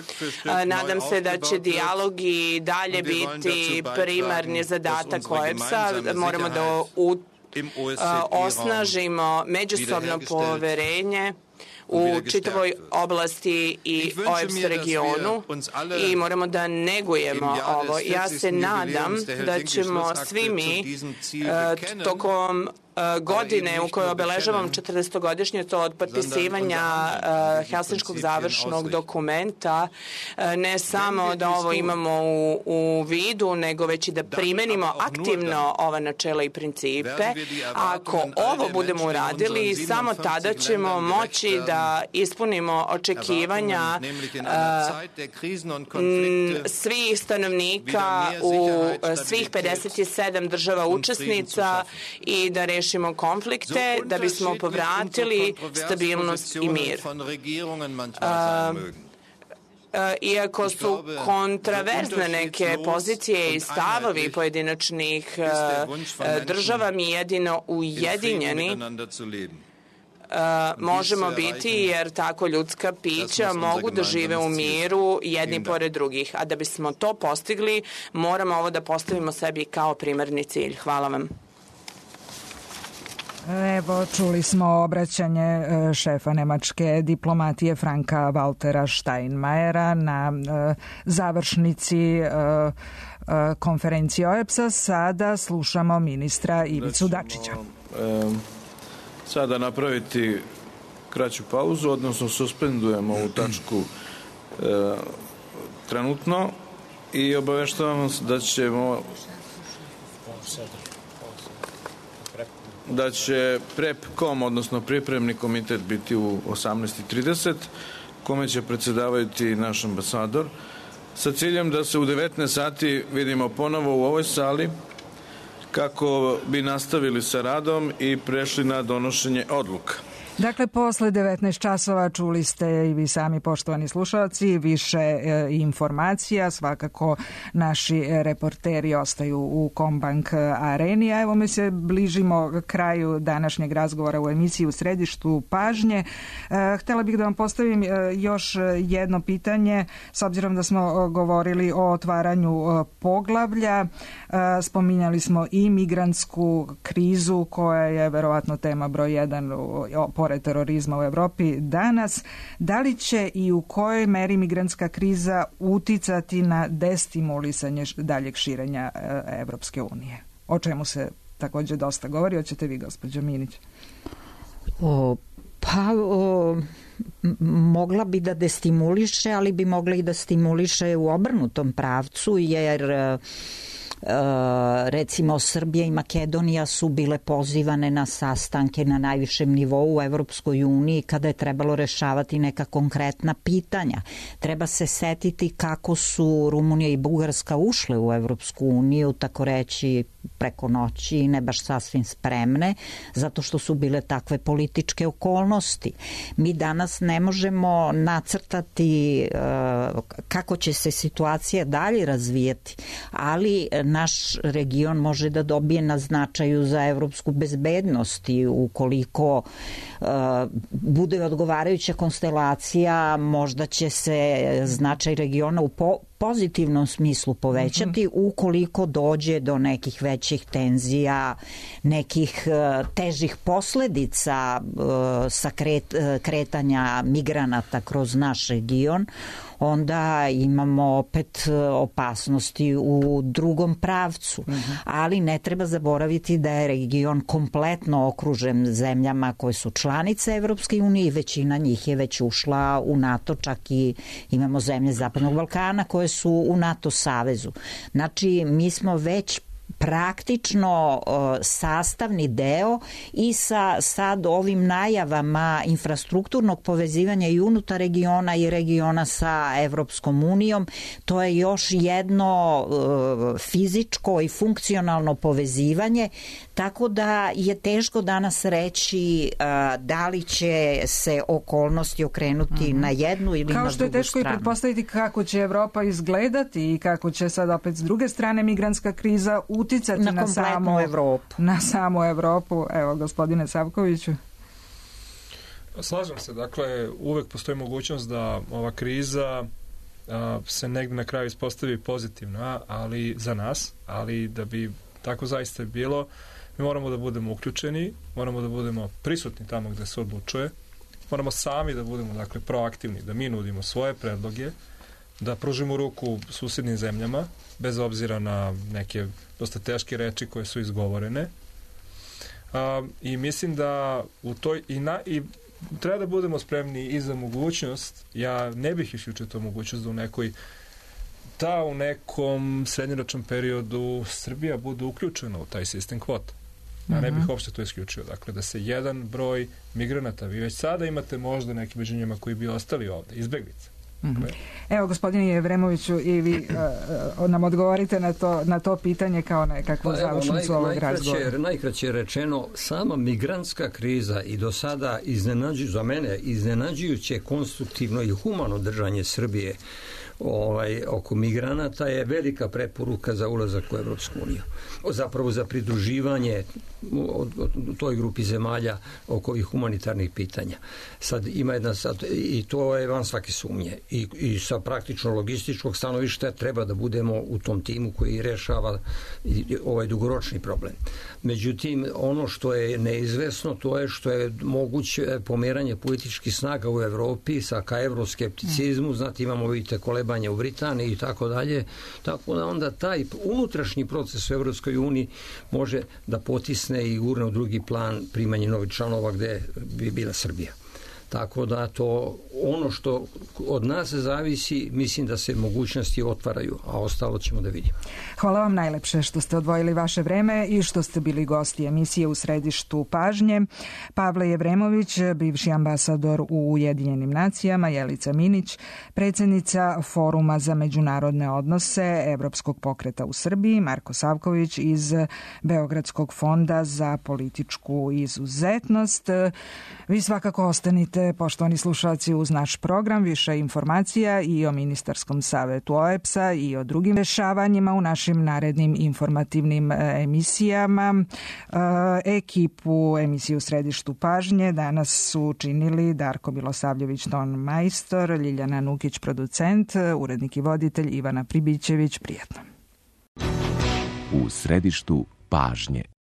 S16: Nadam se da će dijalog i dalje biti primarni zadatak OEBS-a. Moramo da osnažimo međusobno poverenje u čitavoj oblasti i OEBS regionu i moramo da negujemo ovo. Ja se nadam da ćemo svi mi tokom godine u kojoj obeležavam 40-godišnjicu od potpisivanja Helsinškog završnog dokumenta, ne samo da ovo imamo u vidu, nego već i da primenimo aktivno ova načela i principe. Ako ovo budemo uradili, samo tada ćemo moći da ispunimo očekivanja svih stanovnika u svih 57 država učesnica i da rešimo konflikte, da bismo povratili stabilnost i mir. Iako su kontraverzne neke pozicije i stavovi pojedinačnih država, mi jedino ujedinjeni možemo biti, jer tako ljudska pića mogu da žive u miru jedni pored drugih. A da bismo to postigli, moramo ovo da postavimo sebi kao primarni cilj. Hvala vam.
S3: Evo, čuli smo obraćanje šefa nemačke diplomatije Franka Waltera Steinmeiera na završnici konferencije OEBS-a. Sada slušamo ministra Ivicu Dačića.
S17: Sada napraviti kraću pauzu, odnosno suspendujemo ovu tačku trenutno i obaveštavam vas da će PrEP.com, odnosno pripremni komitet, biti u 18:30, kome će predsedavati naš ambasador, sa ciljem da se u 19 sati vidimo ponovo u ovoj sali kako bi nastavili sa radom i prešli na donošenje odluka.
S3: Dakle, posle 19 časova čuli ste i vi sami, poštovani slušalci, više informacija. Svakako naši reporteri ostaju u Kombank areni. A evo mi se bližimo kraju današnjeg razgovora u emisiji U središtu pažnje. Htela bih da vam postavim još jedno pitanje, s obzirom da smo govorili o otvaranju poglavlja. Spominjali smo i migrantsku krizu koja je verovatno tema broj 1 pored pored terorizma u Evropi danas. Da li će i u kojoj meri migrantska kriza uticati na destimulisanje daljeg širenja Evropske unije? O čemu se takođe dosta govori. Hoćete vi, gospođo Minić?
S6: Mogla bi da destimuliše, ali bi mogla i da stimuliše u obrnutom pravcu, jer recimo Srbija i Makedonija su bile pozivane na sastanke na najvišem nivou u Evropskoj uniji kada je trebalo rešavati neka konkretna pitanja. Treba se setiti kako su Rumunija i Bugarska ušle u Evropsku uniju, tako reći preko noći, ne baš sasvim spremne, zato što su bile takve političke okolnosti. Mi danas ne možemo nacrtati kako će se situacija dalje razvijeti, ali naš region može da dobije na značaju za evropsku bezbednost i ukoliko bude odgovarajuća konstelacija, možda će se značaj regiona u pozitivnom smislu povećati ukoliko dođe do nekih većih tenzija, nekih težih posledica sa kretanja migranata kroz naš region, onda imamo opet opasnosti u drugom pravcu. Ali ne treba zaboraviti da je region kompletno okružen zemljama koje su članice Evropske unije i većina njih je već ušla u NATO, čak i imamo zemlje Zapadnog Balkana koje su u NATO savezu. Znači, mi smo već praktično sastavni deo i sa sad ovim najavama infrastrukturnog povezivanja i unutar regiona i regiona sa Evropskom unijom, to je još jedno fizičko i funkcionalno povezivanje, tako da je teško danas reći da li će se okolnosti okrenuti na jednu ili na drugu stranu.
S3: Kao što je teško i pretpostaviti kako će Evropa izgledati i kako će sad opet s druge strane migrantska kriza uticati na samu Evropu. Evo, gospodine Savkoviću.
S7: Slažem se, dakle, uvek postoji mogućnost da ova kriza se negde na kraju ispostavi pozitivna, ali za nas, ali da bi tako zaista bilo, mi moramo da budemo uključeni, moramo da budemo prisutni tamo gde se odlučuje, moramo sami da budemo, dakle, proaktivni, da mi nudimo svoje predloge, da pružimo ruku susednim zemljama, bez obzira na neke dosta teške reči koje su izgovorene. I mislim da u toj i treba da budemo spremni i za mogućnost, ja ne bih isključio tu mogućnost da u nekom srednjoročnom periodu Srbija bude uključena u taj sistem kvota. Ja ne bih uopšte to isključio. Dakle, da se jedan broj migranata, vi već sada imate možda neki među njima koji bi ostali ovde, izbeglice.
S3: Evo, gospodine Jevremoviću, i vi nam odgovorite na to pitanje kao nekakvu završnicu ovog razgovora.
S4: Najkraće rečeno, sama migrantska kriza i do sada za mene iznenađujuće konstruktivno i humano držanje Srbije oko migranata je velika preporuka za ulazak u Evropsku uniju. Zapravo za pridruživanje toj grupi zemalja oko ovih humanitarnih pitanja. Sad ima jedna i to je van svake sumnje. I sa praktično logističkog stanovišta treba da budemo u tom timu koji rešava ovaj dugoročni problem. Međutim, ono što je neizvesno, to je što je moguće pomeranje političkih snaga u Evropi ka evroskepticizmu, znate, imamo, vidite, kolebanje u Britaniji i tako dalje, tako da onda taj unutrašnji proces u Evropskoj uniji može da potisne i gurne u drugi plan primanje novih članova gde bi bila Srbija. Tako da to ono što od nas zavisi, mislim da se mogućnosti otvaraju, a ostalo ćemo da vidimo.
S3: Hvala vam najlepše što ste odvojili vaše vreme i što ste bili gosti emisije U središtu pažnje. Pavle Jevremović, bivši ambasador u Ujedinjenim nacijama, Jelica Minić, predsjednica Foruma za međunarodne odnose Evropskog pokreta u Srbiji, Marko Savković iz Beogradskog fonda za političku izuzetnost. Vi svakako ostanite, poštovani slušalci, uz naš program. Više informacija i o ministarskom savetu OEBS-a i o drugim dešavanjima u našim narednim informativnim emisijama. Ekipu emisije U središtu pažnje danas su činili Darko Milosavljević, ton majstor, Ljiljana Nukić, producent, urednik i voditelj Ivana Pribićević. Prijatno.
S18: U središtu pažnje.